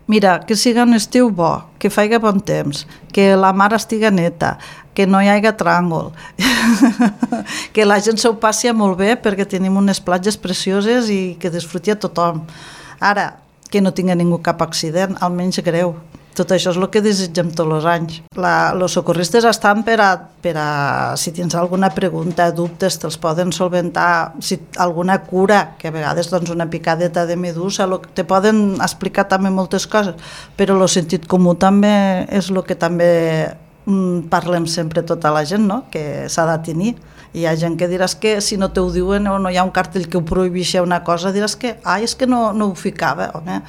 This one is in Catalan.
Mira, que siga un estiu bo, que faci bon temps, que la mar estiga neta, que no hi hagi tràngol, que la gent s'ho passi molt bé perquè tenim unes platges precioses i que disfruti a tothom. Ara, que no tingui ningú cap accident, almenys greu. Tot això és el que desitgem tots els anys. Els socorristes estan per a si tens alguna pregunta, dubtes, te'ls poden solventar, si alguna cura, que a vegades doncs, una picadeta de medusa, te poden explicar també moltes coses, però el sentit comú també és el que també parlem sempre tota la gent, no? Que s'ha de tenir. Hi ha gent que diràs que si no te ho diuen o no hi ha un cartell que ho prohibeixi una cosa, diràs que és que no ho ficava. Home,